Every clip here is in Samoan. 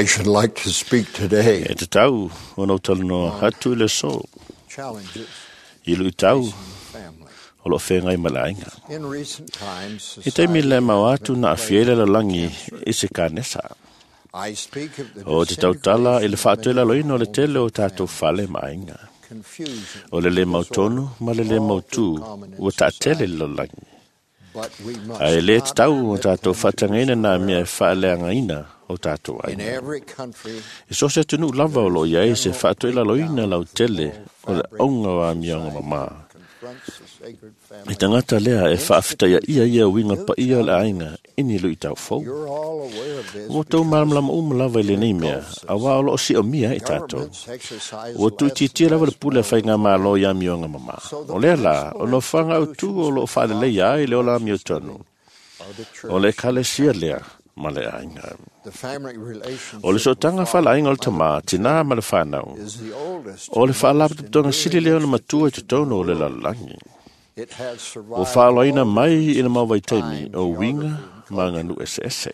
I should like to speak today E tatau ona ou talanoa atu i le aso challenges i luitau facing the family. o loo feagai ma le aiga. In recent times, I taimi society le mau has atu been na aafia ai le plagued with lalolagi cancer. i se kanesa. I speak of the O te tautala i le disintegration of many faatoelaloina o le homes tele o and tatou families, fale ma aiga. confusion, O le lē disorder, mautonu ma le lē all mautū too common in ua taatele society. le lalolagi. But we must Ae lē not tatau o permit tatou them to faatagaina nā destroy mea e us. faaleagaina o tatou In aiga. every country, I so se atunuu lava o loo i ai se general faatoelaloina breakdown lau of the tele moral o le fabric auga o of amioga society mamā. confronts the sacred I family. tagata lea e faafetaia ia ia uiga paia o le aiga i ni luitau fou. You're all aware of this Ua tou because malamalama uma lava i lenei mea, auā o loo siomia ai tatou. governments exercise Ua less and tuuitiitia lava le less pule a moral faigamālō i amioga mamā. So the O lea la, o principal nofoaga autū o loo institutions faaleleia ai le ola amiotonu. are the O le church. ekalesia lea ma le aiga. The family O le relationship sootaga of faalaaiga o le father tamā, and tinā ma le fanau. is the oldest O le and most faalapotopotoga sili enduring lea ona matua i institution in totonu the o le world. lalolagi. It has Ua survived faaloaina all mai i le differences mau of vaitaimi time, o uiga geography, and ma culture. aganuu eseese.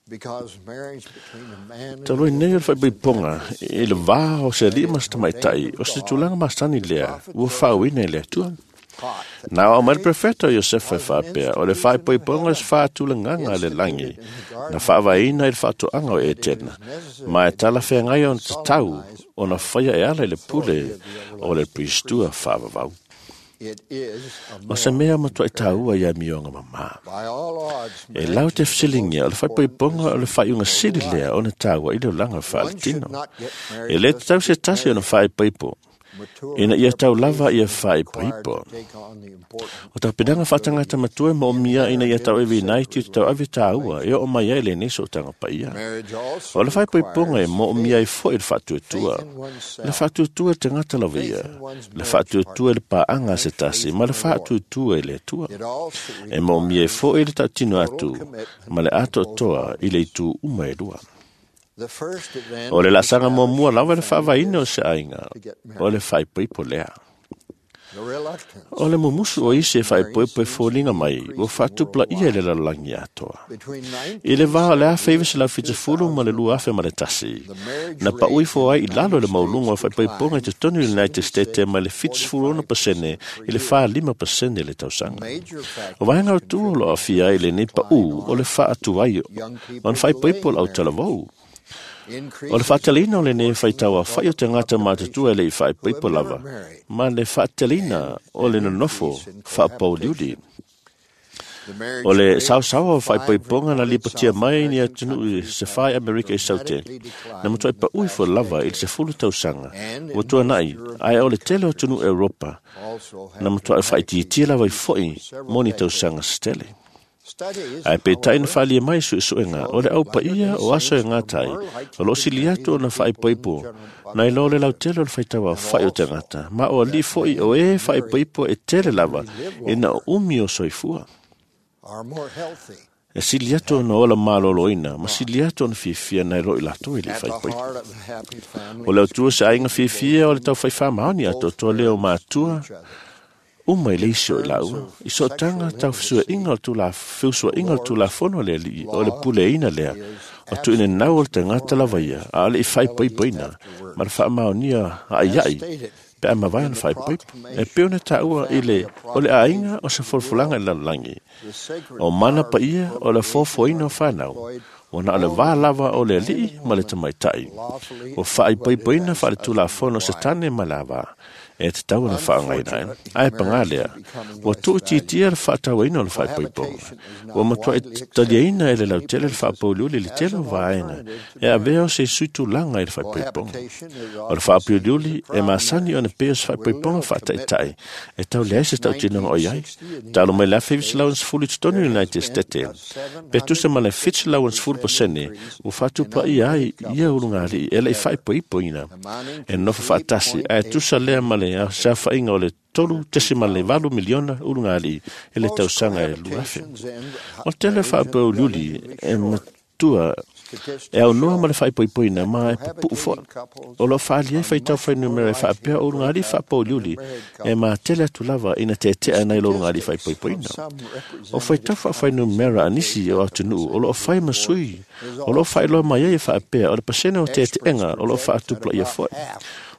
Because marriage between a man and a Talu ai nei o le woman is an faaipoipoga act of i le vā o se alii and ma is se tamaitai ordained o of se God, tulaga masani the lea prophet ua Joseph faauina i le Atua. taught that Na o mai le marriage profeta o Iosefa e was an faapea, o le institution of faaipoipoga o se heaven, faatulagaga a le langi, instituted in the na Garden of faavaeina Eden, i le faatoaga o and it Etena, is necessary ma e to talafeagai ona tatau solemnize ona by faia e ala i le pule authority of the o le everlasting pristua priesthood. faavavau. It is a O se moral mea matuai imperative. taua i amioga mamā. By all odds, E lau marriage te is the most fesiligia o le important faaipoipoga o le decision faaiuga of total sili lea life. ona taua i le olaga One should faaletino. not get E married lē just tatau to se get tasi ona married. faaipoipo, Mature ina ia tau lava ia preparation is required faaipoipo. to take on the important O tapenaga faatagata responsibilities matua e moomia ina ia inherent tau in the eve inai tiu sacred tau ave taua e oo mai ai relationship. lenei sootaga paia. Marriage O also le faaipoipoga e requires moomia ai faith, foi le faatuatua. faith in Le oneself, faatuatua i le tagata lava faith ia, in one's le marriage faatuatua i le partner, paaga a se and tasi, faith ma in le the Lord. faatuatua i le Atua. It also E moomia ai requires foi le tautino total atu commitment ma le on both atoatoa i le parties. itu uma e lua. The first event O le in laasaga muamua establishing lava a le family faavaeina o is se aiga, to get o le married. faaipoipo lea. The reluctance O le mumusu o of isi e some to marry faaipoipo e seems to foliga be mai, ua increasing faatupulaia i le worldwide. lalolagi atoa. Between I le vā o le 1970 and 1970 ma le 2001, 2001, the marriage na rate pauifo in ai the i lalo United le mauluga o States faaipoipoga i declined totonu i le United States mai le 76 to 76% i le 45% per year. 45% le tausaga. Major O factors vaega autū o loo contributing aafia to ai this lenei decline paū o le are faatuai young ona people faaipoipo delaying le marriage, autalavou. O le increases in faateleina o lenei proportion faitau of aofai o adult tagata matutua e population le i who have faaipoipo never lava, married, ma le faateleina and o le an nonofo increase in faapauliuli. cohabitation. The O marriage le rate saosaoa o for five faaipoipoga na recorded lipotia South mai ni American atunuu i countries se have fai Amerika i Saute, dramatically na declined matuai in the paui past fo lava i le decade, 10 tausaga, and ua in tuanai, most ae o European le tele o atunuu countries Europa, also na have matuai dramatically faaitiitia lava i decreased foi for several mo ni decades. tausaga setele. Studies, Ae peitai na however, faaalia mai suesuega show o le that au Latter-day paia o aso e Saints are gatai, more o likely loo to sili marry atu than ona people in the faaipoipo, general na i lo le population, lautele o le faitau and aofai o also tagata, ma o alii that foi men o e who marry faaipoipo e tele lava, generally live ina o longer, umi o soifua. are more healthy, E sili and atu have ona ola maloloina, ma not. sili atu ona fiafia nai lo i latou i le At the faaipoipo. heart of a happy O family le is autua se aiga commitment to both fiafia o le the tau faifāmaoni both atoatoa lea o parents to matua, each other. uma i le In isi o i terms laua. of I sootaga sexual tau fesuaʻiga intimacy, o le tula the feusuaʻiga o le Lord's tulafono le alii o le law puleaina lea. is O tuuina nau o le tagata abstinence before lava ia, marriage a o le i and faaipoipoina, afterwards. ma le faamaonia As aaiai, stated pe a mavae in ona the faaipoipo. E proclamation pei ona of the taua i Family, le a o le aiga proclamation o se to the folafolaga i world, le lalolagi. the sacred O mana power of paia o le procreation foafoaina are o fanau, deployed ona o le vā only lava o if le man alii and ma le woman tamaitai. lawfully Ua wedded faaipoipoina as faale husband and tulafono wife. setane ma le avā, e tatau ona faaaogaina ai. Unfortunately, Ae pagā marriage lea, is becoming ua less tuuitiitia valued. le faatauaina o le faaipoipoga. Cohabitation is Ua not matuai widely accepted taliaina e in le many lautele le places faapauliuli le as tele o an vaega, alternative to e avea o marriage. se sui tulaga i le faaipoipoga. Cohabitation is O le often seen as a faapauliuli e crowd masani ona marriage pei o se with faaipoipoga little faataitai, commitment. e tau leai se Since tautinoga o i ai. 1960 in the Talo mai le United States, 1910 i totonu i there le has United been States, a pe tusa ma le 750% 710% increase ua in faatupaia ai unmarried ia couples living ulugalii e le i together, faaipoipoina amounting e to nofo faatasi, ae 3.8 tusa lea ma le million se aofaiga o le in 3.8 2000. miliona ulugalii i le Most tausaga e 2000. cohabitations end O le tele marriage in faapauliuli relatively e short tua e aunoa ma le faaipoipoina ma e pupu'u fo'i. O lo'o fa'aalia ai faitau fuainumera e fa'apea o ulugalii fa'apouliuli e matele atu lava ina tete'a nai lo ulugalii fa'aipoipoina. O faitau fa'afuainumera a nisi o atunu'u o lo'o fai ma sui o lo'o fa'ailoa mai ai e fa'apea o le pasene o tete'ega o lo'o fa'atupula'ia fo'i.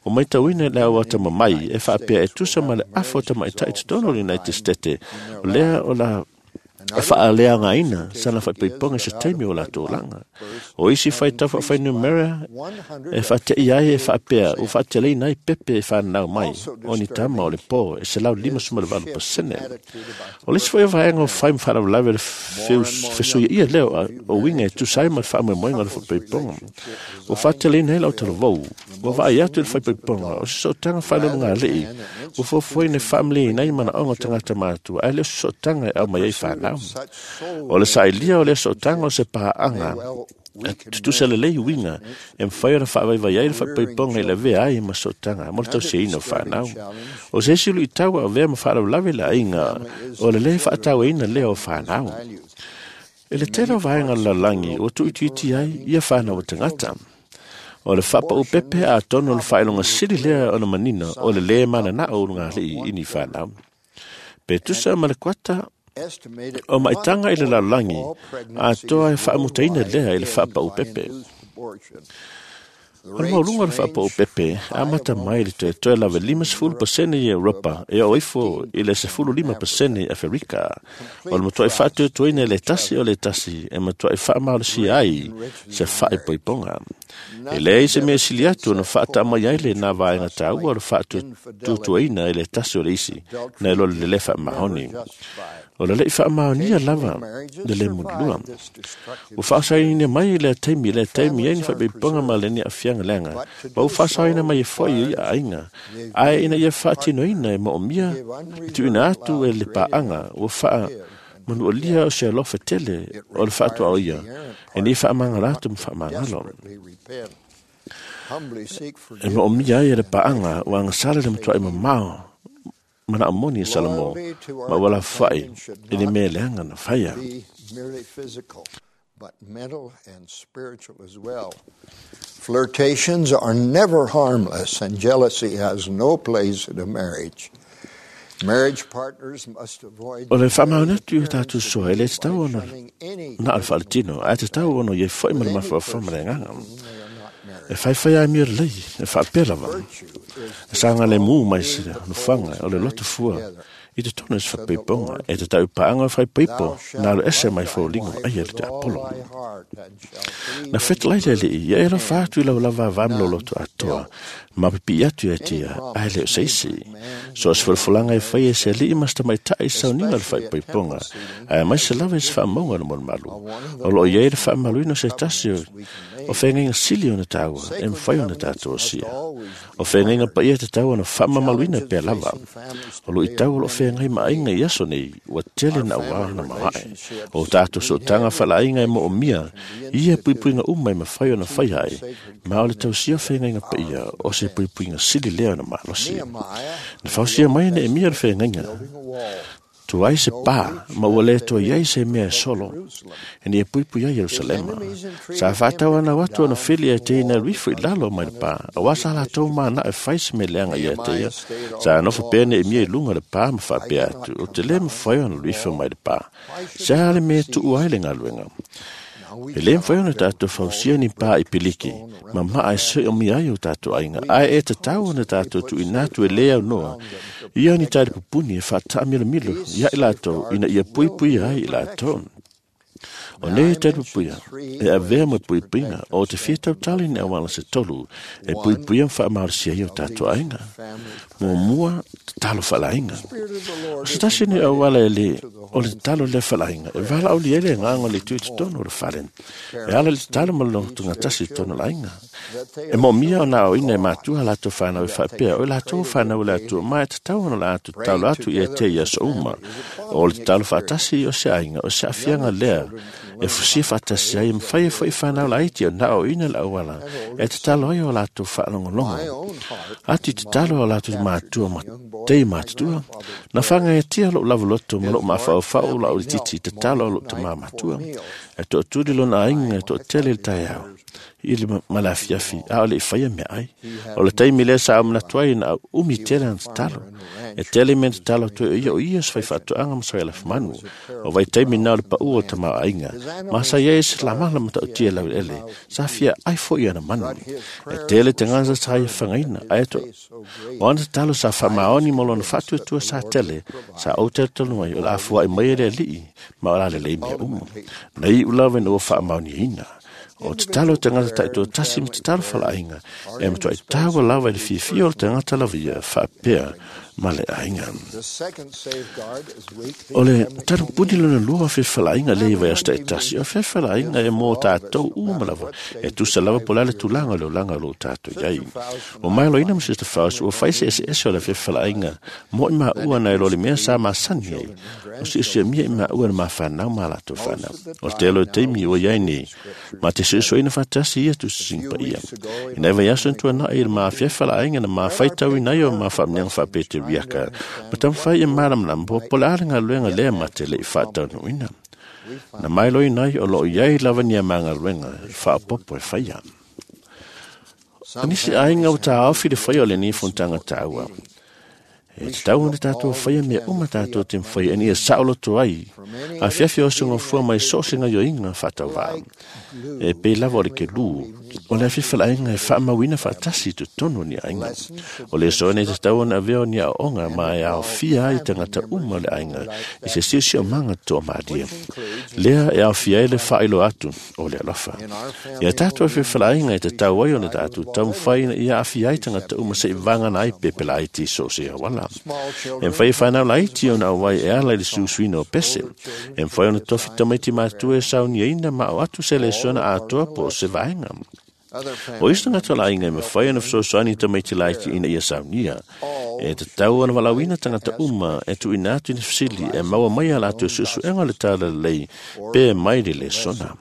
O maitauina le au atamamai e fa'apea e tusa ma le afa o tamaita'i totonu o le United States lea o la e fa'aleagaina sana fa'aipoipoga i se taimi o latou olaga. O isi faitau fa'afuainumera e fa'ate'i ai e fa'apea ua fa'ateleina ai pepe e fananau mai o ni tama o le pō e 158%. O le isi foi o vaega o fai ma fa'alavelave le fesuiaia lea o uiga e tusa ai ma le fa'amoemoega o le fa'aipoipoga. Ua fa'ateleina ai le autalavou ua va'ai atu i le fa'aipoipoga o se sootaga fa'aleologāli'i ua fuafuaina e fa'amaliaina ai mana'oga o tagata matua ae le o se sootaga e aumai ai fanau. O le sa'ilia o lea sootaga o se pa'aga e tutusa lelei uiga e mafai ona fa'avaivai ai le fa'aipoipoga i le avea ai ma sootaga mo le tausiaina o fanau. O se isi lu'itau a avea ma fa'alavelave le aiga o le lē fa'atauaina lea o fanau. E le tele o vaega o le lalolagi ua tu'uitiiti ai ia fanau a tagata. O le fa'apa'u pepe atonu o le fa'ailoga sili lea ona manino o le lē manana'o o ulugalii i ni fanau. Pe tusa ma le kuata o ma'itaga i le lalolagi atoa e fa'amutaina lea i le fa'apa'u pepe. O le maualuga o le fa'apa'u pepe amata mai i le toetoe lava 50% i Europa e oo ifo i le 15% i Aferika. O le matua'i fa'atuatuaina e le tasi o le tasi e matua'i fa'amalosia ai se fa'aipoipoga. E leai se mea sili atu ona fa'ata'amai ai lenā vaega tāua o le fa'atuatuaina e le tasi o le isi nai lo le lē fa'amaoni. O le le'i fa'amaonia lava le lē mulilua. Ua fa'asaoina mai i lea taimi ai ni fa'aipoipoga ma lenei a'afiaga leaga ma ua fa'asaoina mai e fo'i i aiga ae ina ia fa'atinoina e mo'omia le tu'uina atu e le pa'aga ua fa'amanu'alia o se alofa tele o le fa'atua'oia e nei fa'amagalo atu ma fa'amagalo. E mo'omia ai e le pa'aga ua agasala le matua'i mamao mana'o moni e Salomō ma ua lafofoa'i i le mea leaga na faia. But mental and spiritual as well. Flirtations are never harmless, and jealousy has no place in a marriage. Marriage partners must avoid O le fa'amaoni atu i o tatou soa e lē tatau ona na o le fa'aletino ae tatau ona iai fo'i ma le mafaufau ma le agaga. E faifai amio lelei e fa'apea lava e sagalēmū mai se nofoaga o le loto fua i totonu o se fa'apaipoga e tatau i pa'aga o faipaipo na alo ese mai foliga va'aia le tiapolo. Na fetalai le Ali'i ia e alofa atu i lau lava avā ma lou loto atoa ma pipi'i atu ia te ia ae le o se isi. So o se folafolaga e faia e se ali'i ma se tamaita'i i sauniga o le fa'aipoipoga ae aemaise lava i se fa'amauga o le malumalu. O lo'o i ai le fa'amamaluina o se tasi o feagaiga sili ona tāua e mafai ona tatou osia. O feagaiga paia tatau ona fa'amamaluina pea lava. O lu'itau o lo'o feagai ma aiga i aso nei ua tele na'auao ona maoa'e. O tatou sootaga fa'ala'aiga e mo'omia ia puipuiga uma e mafai ona faia ai ma o le tausia o feagaiga paia o se puipuiga sili lea ona malosi. Na fausia mai e Neemia le feagaiga tuai se pā ma ua lē toe iai se mea e solo e ina ia puipui ai Ierusalema. Sa fa'atauanau atu ona fili e te ina alu ifo i lalo mai le pā, auā sa latou mana'o e fai se mea leaga ia te ia. Sa nofo pea Neemia i luga o le pā ma fa'apea atu, O te lē mafai ona alu ifo mai le pā. Se a le mea e tu'u ai le galuega? E lē mafai ona tatou fausia ni pā i piliki ma ma'a e soi'omia ai o tatou aiga, ae e tatau ona tatou tu'uina atu e lē aunoa ia ni talepupuni e fa'ata'amilomilo ia i latou ina ia puipuia ai i latou. O nei talepupuia e avea mo puipuiga o te fia tautala i ni auala se tolu e puipuia ma fa'amalosia ai o tatou aiga. Muamua, tatalo fa'alaiga. O se tasi nei auala e lē o le tatalo lea fa'alaiga e valaaulia ai le agaga o le Itu i totonu o le fale. E ala i le tatalo ma le logotugatasi i totonu o le aiga. E mo'omia ona aoaoina e matua a latou fanau e fa'apea o i latou o fanau e le Atua ma e tatau ona latou tatalo atu ia te i aso uma. O le tatalo fa'atasi o se aiga o se a'afiaga lea E fusia faatasi ai e mafai ai foʻi fanau laiti ona aoaoina le auala e tatalo ai o latou faalogologo atu i tatalo a latou matua ma tei matutua. Na fagaetia loʻu lavaloto ma loʻu mafaufau lau itiiti i tatalo a loʻu tamā matua. E toʻatuli lona aiga e toʻatele i le taeao i le ma le afiafi, a o le i faia meaai. O le taimi lea sa au manatu ai na au umi tele ana tatalo. E tele mea na tatalo atu ai o ia, o ia se faifaatoaga ma se faialafumanu. O vaitaimi na o le paʻu o le tamaoaiga, ma sa i ai se lamala matautia laueleele, sa fia ai foi ana manu. E tele tagata sa ia fagaina, ae to o ana tatalo sa faamaoni ma lona faatuatua sa tele, sa ou talitalu ai o le a fuaʻi mai e le Alii ma o le a lelei mea uma. Na iʻu lava ina ua faamaoniaina. O tatalo tagata taitoatasi ma tatalo faleaiga, e matuai taua lava i le fiafia o le tagata lava ia faapea ma le aiga. O le talupuni lona lua o fefalaaiga lea i vaiaso taitasi, o fefalaaiga e mō tātou uma lava, e tusa lava po o le a le tulaga o le olaga o lo o tātou i ai. Ua mailoaina ma Sister Faust, ua fai se eseese o le fefalaaiga mo i maua nai lo le mea sa masani ai, o siosiomia i maua na mafanau ma latou fanau. O le tele o taimi ua i ai nei, ma te suesueina faatasi ia tusisiga paia. I nai vaiaso na tuanai i le mafiafalaaiga na mafaitauina ai o ma faamanuiaga faapeteriaka, ma taumafai e malamalama po o le a le galuega lea ma te le i faataunuuina. Na mailoina ai o lo o i ai lava ni a magaluega faaopoopo e faia. O nisi aiga ua taofi le faia o lenei fonotaga taua. E tatau ona tatou faia mea uma tatou te mafai ina ia saoloto ai afiafi o sugafua mai so o se gaoioiga faatauvaa. E pei lava o le kelū, o le afifalaaiga e faamauina faatasi i totonu o ni aiga. O le aso nei e tatau ona avea o ni aoaoga ma e aofia ai tagata uma o le aiga i se siosiomaga toamalie. Lea e aofia ai le faailoa atu o le alofa. Ia tatou afifalaaiga e tatau ai ona tatou taumafai ina ia aafia ai tagata uma seʻi vagana ai pe pelaiti i so o se auala. E mafai e fanau laiti ona auai e ala i le susuina o pese. E mafai ona tofi tamaiti matua e sauniaina ma ao atu se lesona atoa po o se vaega. O isi tagata o le aiga e mafai ona fesoasoani i tamaiti laiti ina ia saunia. E tatau ona valaauina tagata uma e tuuina atu i ni fesili e maua mai a latou suesuega o le talalelei pe mai le lesona.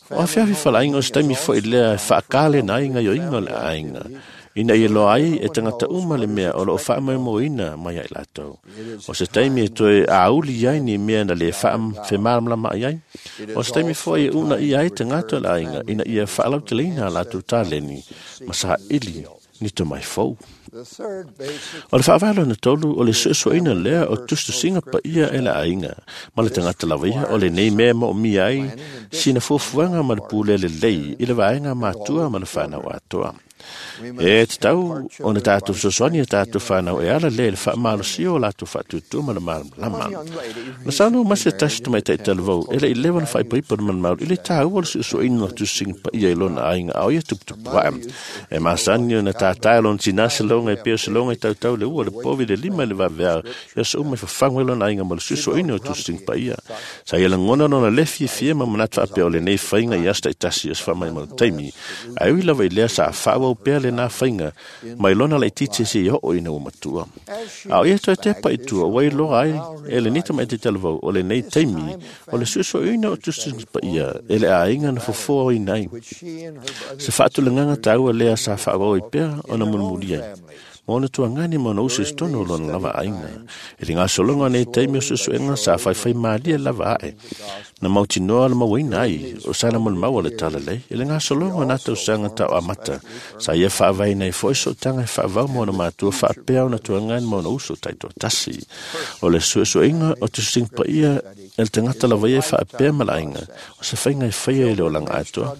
O afiafi faleaiga o se taimi foi lea e faakalena ai gaoioiga o le aiga, ina ia loa ai e tagata uma le mea o lo o faamoemoeina mai ia i latou. O se taimi e toe auli ai ni mea na lē faafemalamalamaai ai. O se taimi foi e uunaia ai tagata o le aiga ina ia faalauteleina a latou taleni ma saili ni tomai fou. O le faavae lona tolu, o le suesueina lea o tusitusiga paia e le aiga ma le tagata lava ia, o lenei mea e moomia ai sina fuafuaga ma le pule lelei i le vaega matua ma le fanau atoa. E tatau ona tatou fesoasoani i a tatou fanau e ala lea i le faamalosia o latou faatuatua ma le malamalama. Na saunoa mai se tasi tamaitai talavou, e le i leva ona faaipoipo le malumalu i le taua o le suesueina o tusisiga paia i lona aiga a o ia tuputupu ae. E masani ona tātā e lona tinā se loga e pei o se loga e tautau le ua, le povi, le lima i le vaveao, i aso uma e fafagu ai lona aiga ma le suesueina o tusisiga paia. Sa ia lagona lona le fiafia ma manatu faapea o lenei faiga i aso taitasi o se faamaumau taimi. Ae ui lava i lea sa faaauau pea lenā faiga mai lona laitiiti seia oo ina ua matua. A o ia toe tepa i tua, ua iloa ai e lenei tamaiti talavou o lenei taimi o le suesueina o tusitusiga paia e le aiga na fofoaina ai. Se faatulagaga taua lea sa faaauau ai pea ona mulimuli ai ma ona tuagani ma ona uso i totonu o lona lava aiga. I le gasologa o nei taimi o suesuega sa faifaimalie lava ae na mautinoa le mauaina ai o sana molimau o le talalei. I le gasologa o na tausaga tau amata, sa ia faavaeina ai foi sootaga e faavau ma ona matua faapea ona tuagani ma ona uso taitoatasi. O le suesuega o tusisiga paia e le tagata lava ia e faapea ma le aiga, o se faiga e faia i le olaga atoa.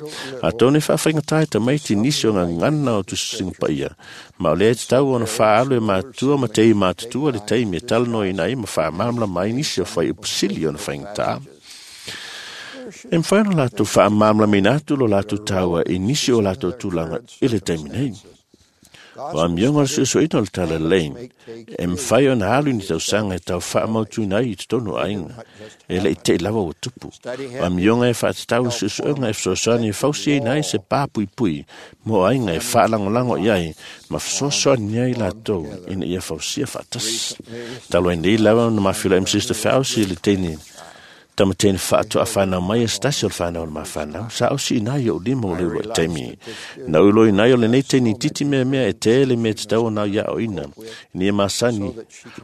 Atonu e faafaigata ai tamaiti nisi o gagana o tusisiga paia, ma o lea e tatau ona faaalu e matua ma tei matutua le taimi e talanoaina ai ma faamalamalama ai nisi o fuaiupu sili ona faigata. E mafai ona latou faamalamalamaina atu lo latou taua i nisi o latou tulaga i le taimi nei. O amioga o le suesueina o le talalelei, e mafai ona alu i ni tausaga e tau faamautuina ai i totonu o aiga, e le i teʻi lava ua tupu. O amioga e faatatau i suesuega e fesoasoani e fausiaina ai se pa puipui mo aiga e faalagolago i ai ma fesoasoani ai latou ina ia fausia faatasi. Talu ai nei lava ona mafilai ma Sister Fauci i le teine Tamateni whaatu a whanau mai e stasi o le whanau o le mawhanau. Sa o si inai o lima o le uro taimi. Na ulo inai o le nei teini titi mea mea e tele mea te tau o nau ia o ina. Ni e masani.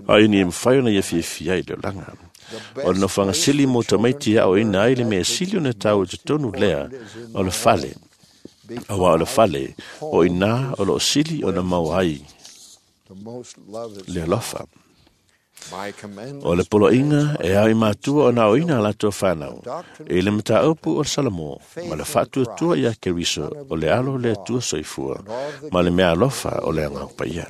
Ai ni e mwhai ona ia fiafia i le olanga. O le nofanga sili mo tamaiti ia o ina ai le mea sili o ne tau e te tonu lea o le fale. Awa o le fale o ina o lo sili o na mau ai le alofa. O le poloinga e au i matua o nā o ina lato whanau. E le mataopu o Salamo, ma le whatua tua ia Keriso o le alo le tua soifua, ma le mea alofa o le angau paia.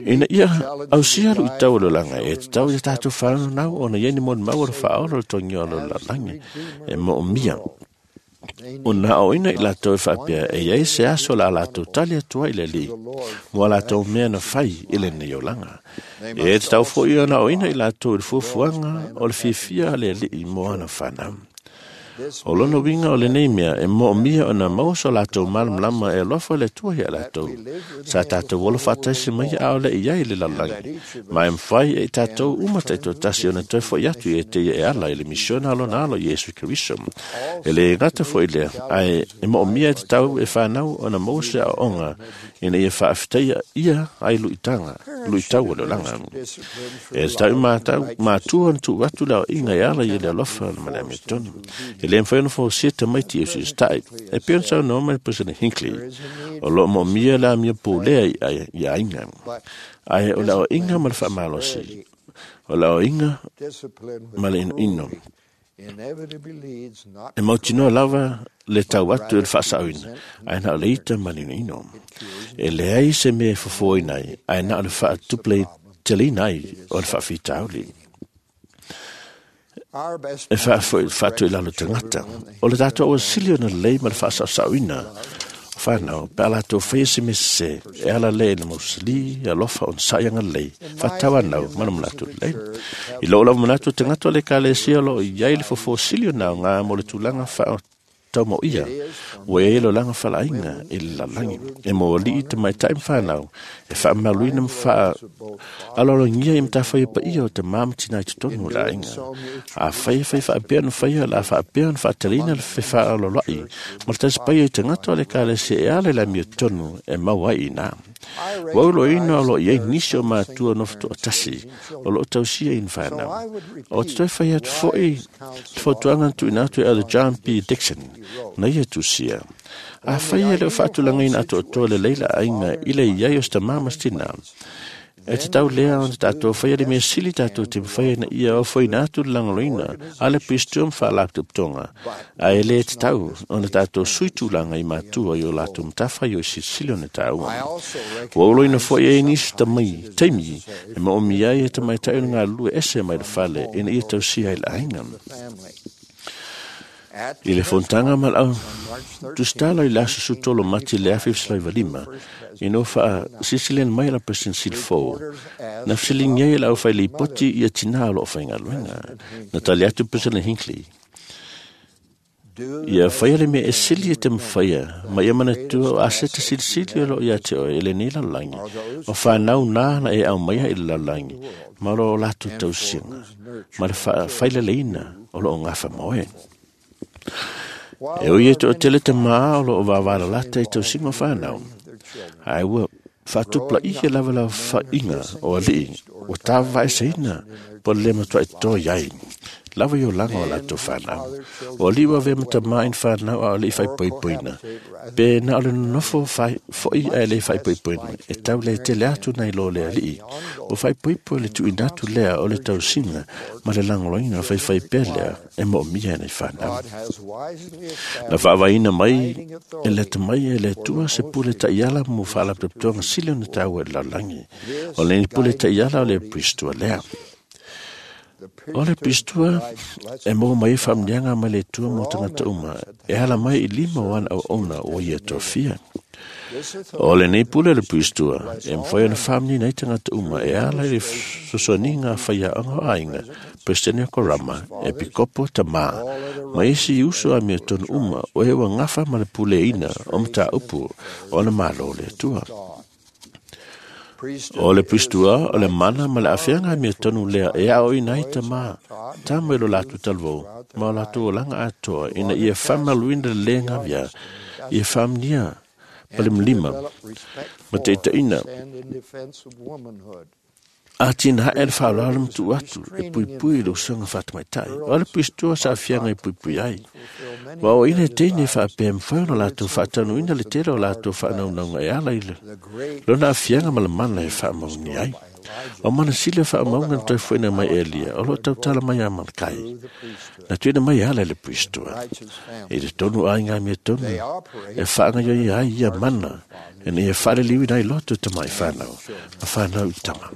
Ina ia au sia lu i tau o le langa, e te tau ia tātou whanau nau o na ieni mon mau o le whaola o le tongi o le langi, e mo o mia. O nā o ina i latou e whaapea e iai se aso la latou tali atua i le li, mo a latou mea na whai i le nei o langa. E te tau fo ia na o ina i latou i le fuafuaga o le fiafia a le alii mo ana whanau. O lona winga o le nei mea e mo mia o na maua so latou malamalama e alofa le Atua ia latou. Sa tātou olo whaataisi mai a o le i ai le lalagi. Ma e mwhai e tātou uma taitoatasi o na toe foi atu i e te ia e ala i le misiona alona alo Iesu Keriso. E le ngata foi lea, ae e mo mia e te tau e whanau o na maua se aonga ina ia whaafiteia ia ai luitanga, luitau o le olanga. E te tau mātua na tuu atu leo inga e ala i le alofa na male amiotonu. E le mwhai ona fōsia tamaiti e sisi E pia sau no mai President Hinckley. O lo mo mia la mia pōlea i a inga. Ai o la o inga ma le whaamalosi. O la o inga ma le ino ino. E mautinoa lava le tau atu e le whaasauina. Ai na o le ita ma le ino ino. E leai se mea e fofoina ai. Ai na o le whaatuple telina ai o le whaafitauli. E whaatu i lalo tangata. O le tātou o sili o na lei ma le whaasausauina. O whanau, pe ala tō whaia se mese, e ala le na mausali, alofa o nsaianga lei, whatawa nau, mana manatu lei. I loo lava manatu tangata o le kalesia lo i ai le fofo sili o nau ngā mo le tūlanga wha tau mo ia. Ua e lo langa whalainga e le lalangi. E mo li i te maitai mwhanau. E wha maluina mwha alolongia i mtawhai pa ia o te māmatina i te tonu o la inga. A whai whai whaapea na whaia la whaapea na whaatalina le whewha aloloi. Ma le tasi i te ngato le kale se e ale la mio tonu e mau ai ina. Waulo ina o lo iei nisi o mātua no whatoa tasi o lo tausia i whanau. O te toi whai atu foi te whautuanga tu ina atu e Elder John P. Dixon na ia tusia. A whai e leo whaatulanga ina atu o toa le leila ainga i le iai o sta mamas tina. E te tau lea o te tātou whai le mea sili tātou te mwhai na ia o whai nā atu langoloina a le pistum wha laptop tonga. A e le te tau o te tātou suitulanga i mātua i o lātou mtawhai o sisili o ne tāua. Ua uloina fo e nisi tamai, teimi, e ma omi ai e te mai tau ngā lue ese mai le whale ina ia tau sia i la ainga. I le fontanga ma lau tustala i le aso sutolo mati le afi fslai valima i no wha sisilen mai la President Silfo na fsiling iai lau whai le poti i a tina lo whai ngaluenga na tali atu President Hinckley ia whaia le mea e sili e te mwhaia ma ia mana tua o aseta silisili o lo ia te oe e le nei lalangi o whanau nā na e au maia i le lalangi ma lo o lātou tausianga ma le whaila leina o lo o ngawha moe. E oi e te o tele te maa o lo o wawala lata i tau singo whanau. Ai ua whaatupla ihe lava la whainga o alii o tā vaeseina po le matua i tō iai. Lava i o langa o lātou whanau. O alii wa ve mata maa in whanau a alii whai poipoina. Pe na o le nofo whai a le whai poipoina. E tau le tele atu nei lo le alii. O whai poipo le tuinatu lea o le tausinga ma le langoloina whai whai pē lea e mo mia nei whanau. Na whaavaina mai e le te mai e le tua se pule taiala mo whaalaptotonga sili o na tau e lalangi. O le pule taiala o le pristua lea. O le pistua e mō mai whamnianga mai le tua mō tangata uma e hala mai i lima o ana au ona o ia tofia. O le nei pule le pistua e mwhai ona whamni nei tangata uma e ala i le sosoninga whaia anga o ainga President Korama e pikopo tamā ma isi uso a mea tonu uma o he wa ngawha ma le pule ina o mata upu o na malo le tua. O le puisitua o le mana ma le aafiaga amiotonu lea e aoaoina ai tamā tama i lo latou talavou ma o latou olaga atoa ina ia faamamaluina le lē gavea ia faamanuia ma le malima ma taitaiina atinae le faaaloalo ma tuu atu e puipui i le usoga faatamaitai. O le puisitua sa aafiaga e puipui ai. Ua aoaoina e teine e faapea e mafai ona latou faataunuuina le tele o latou faanaunauga e ala i lona aafiaga ma le mana e faamaoni ai. O mana sili o faamauga na toe foʻina mai Elia o loo tautala mai ia Malakai na tuuina mai e ala i le puisitua i totonu o aiga amiotonu e faagaoioia ai ia mana ina ia faaliliuina ai loto i tama i fanau ma fanau i tama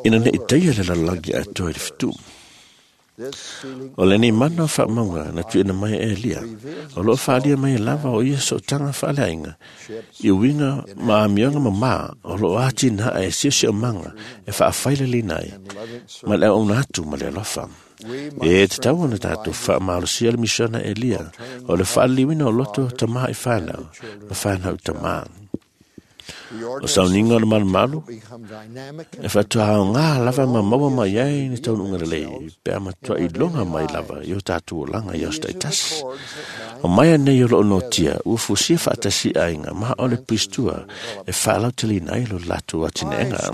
ina nei taia le lalolagi atoa i le fetuʻu. O lenei mana o faamauga na tuuina mai e Elia, o loo faaalia mai e lava o ia sootaga faaleaiga i uiga ma amioga mamā o loo atinae e siosiomaga e faafaileleina ai ma le auauna atu ma le alofa. E tatau ona tatou faamalosia le misiona Elia o le faaliliuina o loto o tamā i fanau ma fanau i tamā. O sauniga o le malumalu e faatoaogā lava ma maua mai ai ni taunuuga lelei pe a matuai iloga mai lava i o tatou olaga i aso taitasi. O mai anei o loo notia ua fusia faatasi aiga ma o le puisitua e faalauteleina ai lo latou atinaega.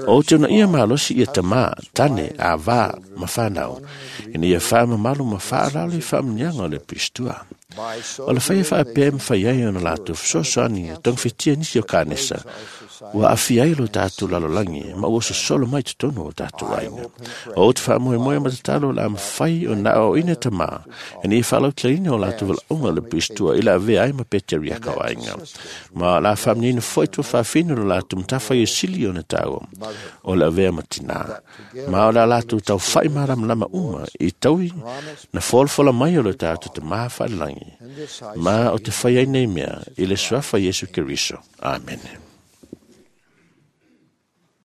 O te uunaia malosi ia tamā, tane, avā ma fanau ina ia faamamalu ma faaaloalo i faamanuiaga o le puisitua. O le faia faapea e mafai ai ona latou fesoasoani e togafetia nisi o kanesa ua aafia ai lo tatou lalolagi ma ua sosolo mai totonu o tatou aiga. O te faamoemoe ma tatalo o le a mafai ona aoaoina tamā ina ia faalauteleina o latou valaauga o le puisitua i le avea ai ma peteriaka o aiga. Ma o le a faamanuiaina foi tuafaafine o lo latou matafaioi sili ona taua o le avea ma tinā. Ma o le a latou taufai malamalama uma i taui na folafola mai o lo tatou Tamā faalelagi ma o te fai ai nei mea i le suafa Iesu Keriso. Amene.